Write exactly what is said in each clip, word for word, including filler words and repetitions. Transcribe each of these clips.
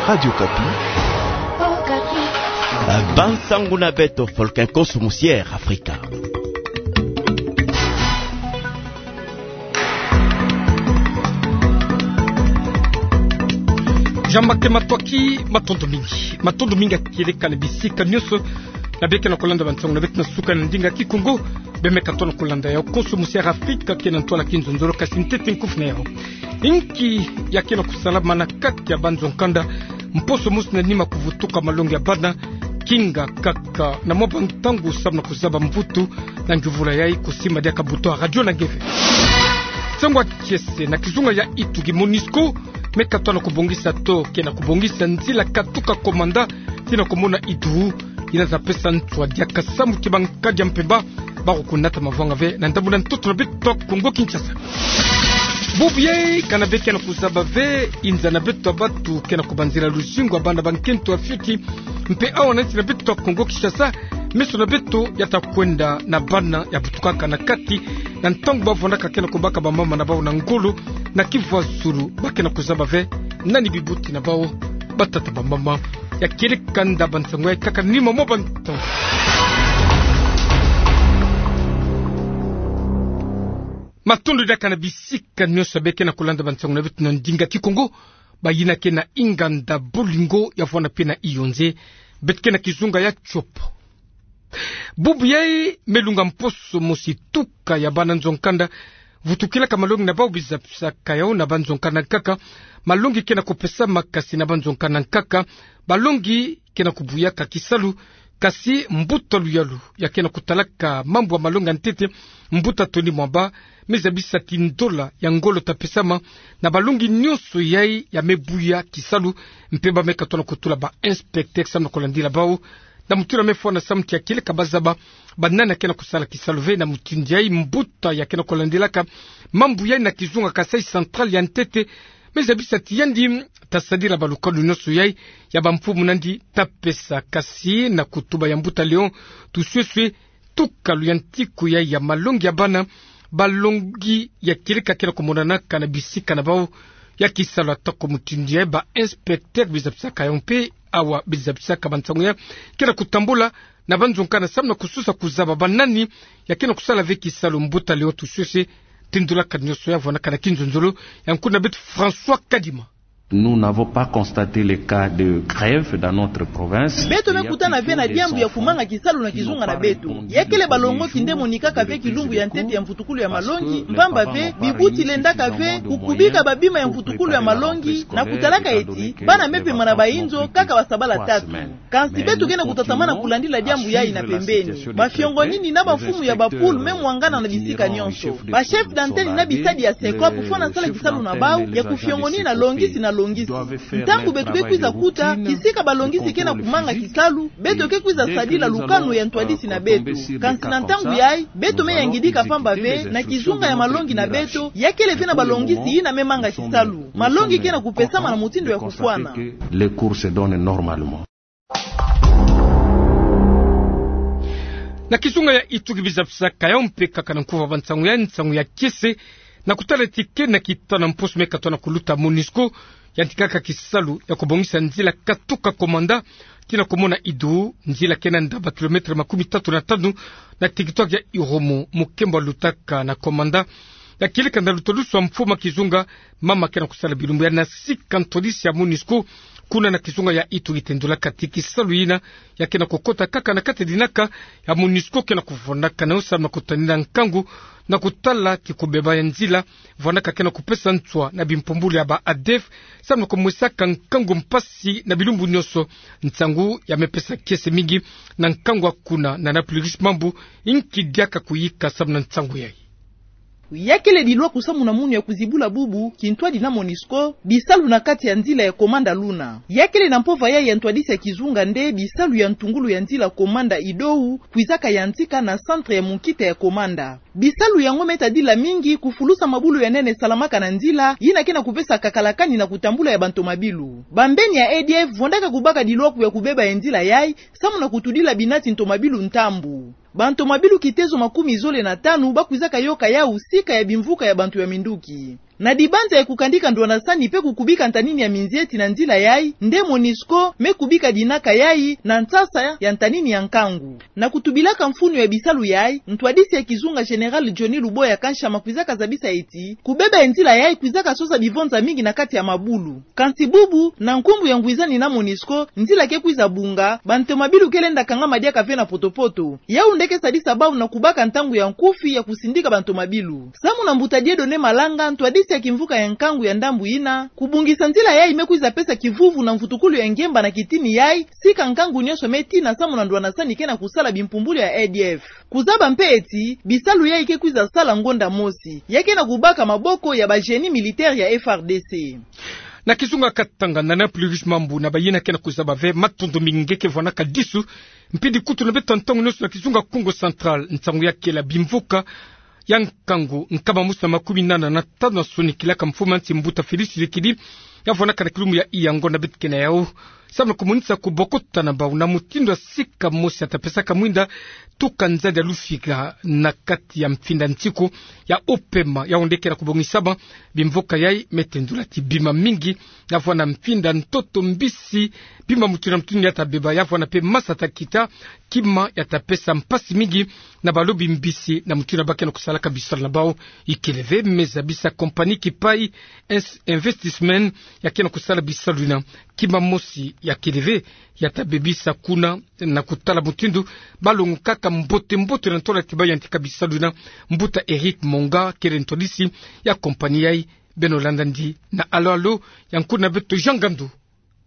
Radio Okapi. Bansangu na beto, Folkinkoso Musiere Afrika. Jean-Marc Matsoua, matondo mingi. Matondo mingi ya kieleka na bisika nyonso na beno ke na kolanda bansangu na beto na suka na ndinga Kikongo. Beno me katuka na kolanda yawu. Konso Musiere Afrika ke na ntwala kinzonzolo, kasi ntete nkufi na yawu. Inki ya ke na kusalama na kati ya banzo nkanda? Mposo mosi na nima kuvutuka malongi ya bana, kinga kaka na mwa bantangu samu na kuzaba mvutu na nguvula yayi. Kusimba diaka buto ya radio na ngeve. Nsangu ya kiese na kizunga ya Ituri. Monusco me katuka na kubongisa to ke na kubongisa nzila katuka Komanda tii na komona Idou, yina za pesa nswa diaka samu ti bankadi ya mpemba ba kukunata mavwanga ve na ndambu na ntoto na beto Kongo Kinshasa. Bubu yayi, kana beno ke na kuzaba ve, inza na beto ya bantu ke na kubanzila luzingu ya bana bankento ya fioti. Mpe awa na nsi na beto Kongo Kinshasa, meso na beto ya ta kwenda na bana ya butukaka na kati na ntangu ba vwandaka ke na kubaka bamama na bawu na ngolo na kivwazulu. Ba ke na kuzaba ve nani bibuti na bawu, batata, bamama. Ya kieleka nda bansangu yayi kaka nima mwa bantangu. Matondo diaka na bisika nyonso beno ke na kulanda bansangu na beto na ndinga Kikongo. Bayina ke na inganda bolingo ya vwanda mpe na Yaoundé, beto ke na kizunga ya Tshopo. Bubu yayi me lunga mposo mosi tuka ya bana nzo nkanda vutukilaka malongi na bawu. Bizabisaka yawu na banzo nkanda nkaka, malongi ke na kupesama, kasi na banzo nkanda nkaka, balongi ke na kubuyaka kisalu. Kasi mbuta luyalu ya ke na kutalaka mambu ya malongi ya ntete, mbuta Tony Mwamba, me zabisa ti ndola ya ngolo ta pesama na balongi nyonso yayi ya me buya kisalu. Mpe ba me katuka na kutula ba inspecteur samu na kulandila bawu na mutindu ya me fwana, samu ti ya kieleka ba zaba banani ya ke na kusala kisalu ve. Na mutindu yayi, mbuta ya ke na kulandilaka mambu yayi na kizunga Kasaï Central ya ntete, me zabisa ti yandi ta sadila balukalu nyonso yayi ya bamfumu na yandi ta pesa. Kasi na kutuba ya mbuta Léon Tusweswe, tuka luyantiku yayi ya malongi ya bana, balongi ya kieleka ke na kumonanaka na bisika na bawu ya kisalu. Atako mutindu yayi, ba inspecteur bizabisaka yawu mpe awa bizabisaka bansangu yayi ke na kutambula na banzo nkanda samu na kusosa kuzaba banani ya ke na kusala ve kisalu. Mbuta Léon Tusweswe tindulaka nyonso yayi, vwandaka na kinzonzolo. Yankulu na beto François Kadima. Nous n'avons pas constaté le cas de grève dans notre province. Beto me kutana ve na diambu ya kumanga kisalu na kizunga na beto. Ya kele balongoki nde monikaka ve kilumbu ya ntete ya mvutukulu ya malongi, mpamba ve bibuti lendaka ve kukubika babima ya mvutukulu ya malongi, na kutalaka eti bana me pema na bayinzo kaka basabala tatu. Kansi beto ke na kutatamana kulandila diambu yayi na pembeni. Mafiongonini na bamfumu ya ba pool me mwangana na bisika nyonso. Ba chef d'antenne na bisadi ya SECOP fwana sala kisalu na bawu ya kufiongonina longisi na longisi. Ntangu beto ke kwiza kuta kisika balongisi ke na kumanga kisalu, beto ke kwiza sadila lukanu ya ntwadisi na beto. Kansi na ntangu yayi, beto me yangidika mpamba ve na kizunga ya malongi na beto ya kele ve na balongisi yina me manga kisalu. Malongi ke na kupesama na mutindu ya kufwana. Les cours se donnent normalement. Na kizunga ya Ituri, bizabisaka yawu mpe kaka na nkuva bansangu ya, nsangu ya kiese na kutala ti ke na kitanu mposo me katuka na kuluta, Monusco yantikaka kisalu ya kubongisa nzila katuka Komanda tii na komona Idou, nzila ke na ndaba kilomètre makumi tatu na tanu na territoire ya Irumu. Mukembo lutaka na Komanda ya kieleka na lutadusu ya mfumu ya kizunga, mama ke na kusala bilumbu ya na sika ntwadisi ya Monusco kuna na kizunga ya Ituri tendulaka ti kisalu yina ya ke na kukota kaka na kati ya dinaka ya Monusco ke na kuvwandaka na yo samu na kutanina nkangu na kutala kikubeba ya nzila, vwandaka ke na kupesa nswa na bimpumbulu ya ba ADF samu na kumwesaka nkangu mpasi na bilumbu nyonso. Nsangu ya me pesa kiese mingi na nkangu ya kuna na na plus mambu inki diaka kuyika samu na nsangu yayi. Ya kele dilwaku samu na munu ya kuzibula bubu kintwadi na Monusco bisalu na kati ya nzila ya Komanda luna. Ya kele na mpova yayi ya ntwadisi ya kizunga nde bisalu ya ntungulu ya nzila Komanda Idou kwizaka yantika na centre ya munkita ya Komanda. Bisalu yango me tadila mingi kufulusa mabulu ya nene salamaka na nzila, yina ke na kupesa kakalakani na kutambula ya bantomabilu. Bambeni ya ADF vwandaka kubaka dilwaku ya kubeba ya nzila yayi samu na kutudila binati ntomabilu ntambu. Bantomabilu kitezo makumi zole na tanu ba kwizaka yoka yawu sika ya bimvuka ya bantu ya minduki. Na dibanza ya kukandika ndwanansani mpe kukubika ntanini ya minzieti na nzila yai, nde MONUSCO me kubika dinaka yai na nsasa ya ntanini ya nkangu. Na kutubilaka mfunu ya bisalu yai, ntwadisi ya kizunga Général Johnny Luboya Kanshama kwizaka zabisa eti, kubeba ya nzila yai kwizaka sosa bivonza mingi na kati ya mabulu. Kansi bubu, na nkumbu ya ngwizani na MONUSCO, nzila ke kwiza bunga, bantomabilu ke lenda kangama diaka ve na poto-poto. Yau nde ke sadisa bau na kubaka ntangu ya nkufi ya kusindika bantomabilu. Samu na mbuta Dieudonné Malanga, ntwadisi ya kimvuka ya nkangu ya ndambu yina, kubungisa nzila yai me kwiza pesa kivuvu na mvutukulu ya ngemba na kitini yai, sika nkangu nyonso me tina samu na ndwanansani ke na kusala bimpumbulu ya A D F. Kuzaba mpe eti, bisalu yai ke kwiza sala ngonda mosi. Ya ke na kubaka maboko ya ba génie militaire ya F R D C. Na kizunga Katanga, na Nana Plurish Mambu na bayina ke na kuzaba ve, matondo mingi nge ke vwanaka disu, mpidi kutu na beto ntangu nyonso na kizunga Kongo Central, nsangu ya kela bimvuka ya nkangu nkama mosi na makumi nana na tanu na sonikilaka mfumu ya nsi mbuta Félix Tshisekedi, ya vwanaka na kilumbu ya Iyangone beto ke na yau. Samu na kumonisa kubokota na bau na mutindu ya sika mosi ya ta pesaka mwinda tuka nzadi ya lufika na kati ya mfinda nsiku ya upema, yau nde ke na kubongisama. Bimvuka yai me tendula ti bima mingi, ya vwanda mfinda, ntoto, mbisi, bima mutindu na mutindu ya ta beba, ya vwanda mpe masa ta kita, kima ya ta pesa mpasi mingi na balobi mbisi na mutindu ba ke na kusalaka bisalu na bau. Ikele ve, me zabisa compagnie Kipai Ins-, Investissement ya ke na kusala bisalu yina, kima mosi ya kele ve ya ta bebisa kuna, na kutala mutindu ba longokaka mbote-mbote na ntola ti ba yantika bisalu yina. Mbuta Eric Monga kele ntwadisi ya compagnie yai. Beno landa ndi na Alo Alo ya nkuna beto Jean Ngandu.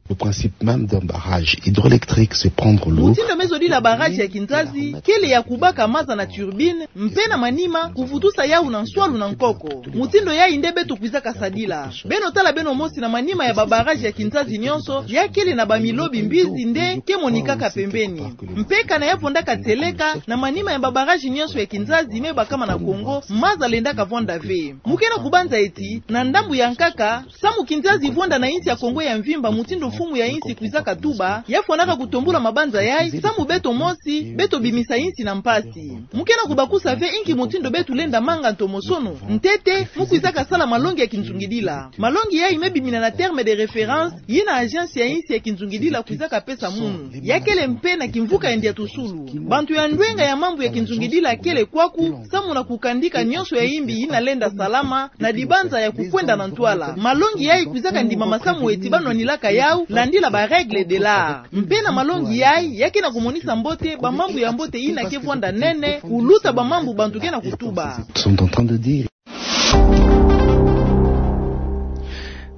Le principe même d'un barrage hydroélectrique, c'est prendre l'eau. Mutindu me zodila barrage ya kinzazi kele ya kubaka maza na turbine, mpe na manima kuvutusa yau na nswalu na nkoko. Mutindu yai nde beto kwizaka sadila. Beno tala beno mosi na manima ya ba barrage ya kinzazi nyonso, ya kele na bamilobi mbizi nde ke monikaka pembeni. Mpe kana ya vwandaka tseleka, na manima ya ba barrage nyonso ya kinzazi me bakama na Kongo, maza lendaka vwanda ve. Mu ke na kubanza eti, na ndambu ya nkaka, samu kinzazi vwanda na insi ya Kongo ya mvimba mutindu mfumu ya insi kwizaka tuba, ya fwanaka kutombula mabanza yai, samu beto mosi, beto bimisa insi na mpasi. Mu ke na kubakusa ve inki mutindu beto lenda manga ntomosono, ntete, mu kwizaka sala malongi ya kinzungidila. Malongi yai me bimina na terme de référence yina agence ya insi ya kinzungidila kwizaka pesa munu. Ya kele mpe na kimvuka ya Ndiatusulu. Bantu ya ndwenga ya mambu ya kinzungidila kele kwaku, samu na kukandika nyonso ya imbi yina lenda salama, na dibanza ya kukwenda na ntwala. Malongi yai kwizaka ndimama samu eti ba nwanilaka yau, landila ba règles de l'art. Mpe na malongi yai, ya ke na kumonisa mbote, ba mambu ya mbote yina ke vwanda nene, kuluta ba mambu bantu ke na kutuba. Sont en train de dire.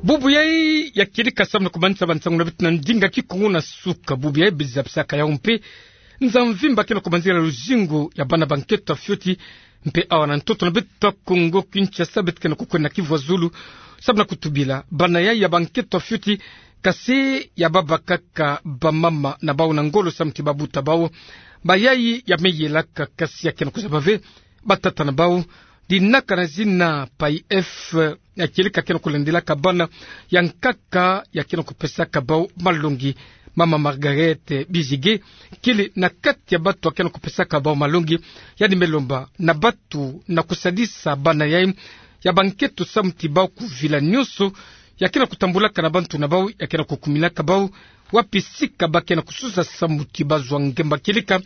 Bubu yai ya kedika samu na kumanisa ba nsangu na beto na ndinga Kikongo na suka. Bubu yai biza bisaka yau mpe nza mvimba ke na kumanzila luzingu ya bana bankento ya fioti. Mpe awa na ntoto na beto Kongo Kinshasa beto ke na kukwenda na Kivu ya Zulu samu na kutubila bana yai ya bankento ya fioti, kasi ya baba kaka, bamama na bau na ngolo samu ti babuta bau. Bayai ya me yelaka kasi ya ke na kuzaba ve batata na bau. Dinaka na zina P A I F, ya kedika ke na kulandilaka bana ya nkaka, ya ke na kupesaka bau malongi. Mama Margaret Bizige kele na kati ya batu ya ke na kupesaka bau malongi. Yandi me lomba na batu na kusadisa bana yai ya bankento samu ti bau kuvila nyonso ya ke na kutambulaka na bantu na bau, ya ke na kukuminaka bau, wapi sika ba ke na kususa samu ti bazwa ngemba. Kedika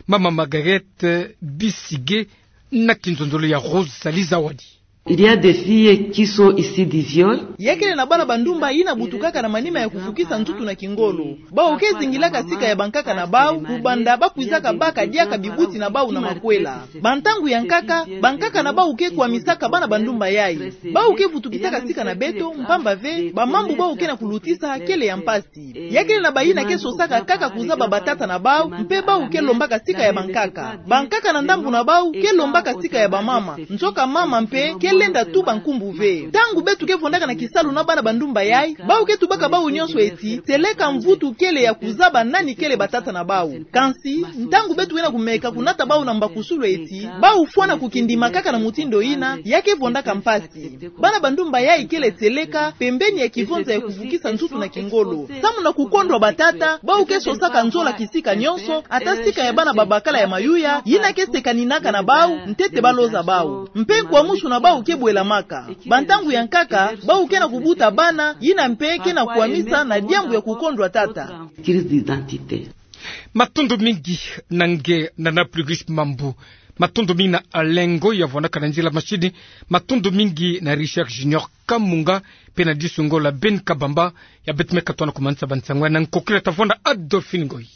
Mama Margaret Bizige na kinzonzolo ya Rosalie Zawadi. Il y a des filles qui sont issues du viol. Ya kele na bana bandumba yina butukaka na manima ya kufukisa ntutu na kingolo. Bau ke zingilaka sika ya bankaka na bau, kubanda ba kwizaka baka diaka bibuti na bau na makwela. Bantangu ya nkaka, bankaka na bau ke kwamisaka bana bandumba yai. Bau ke vutukisaka sika na beto, mpamba ve, ba mambu bau ke na kulutisa kele ya mpasi. Ya kele na bayina ke sosaka kaka kuzaba batata na bau, mpe bau ke lombaka sika ya bankaka. Bankaka na ndambu na bau ke lombaka sika ya bamama. Nzoka mama mpe ke lenda tuba nkumbu ve. Ntangu beto ke vwandaka na kisalu na bana bandumba yai, bau ke tubaka bau nyonso eti, seleka mvutu kele ya kuzaba nani kele batata na bau. Kansi, ntangu beto ke na kumeka kunata bau na mbakusulu eti, bau fwana kukindima kaka na mutindu yina, ya ke vwandaka mpasi. Bana bandumba yai kele seleka pembeni ya kivonza ya kuvukisa ntutu na kingolo. Samu na kukondwa batata, bau ke sosaka nzola kisika nyonso, ata sika ya bana babakala ya mayuya, yina ke sekaninaka na bau, ntete ba loza bau. Mpe nkwamusu na bau ke bwelamaka. Ba ntangu ya nkaka, bawu ke na kubuta bana, yina mpe ke na kukwamisa na diambu ya kukondwa tata. Matondo mingi na nge na na Plurish Mambu. Matondo mingi na Alengo ya vwanaka na nzila mashini. Matondo mingi na Richard Junior Kamunga, mpe na disu ngolo Ben Kabamba, ya beto me katona kumanisa ba nsangu ya na nkokila tavwanda Adolphine Ngoyi.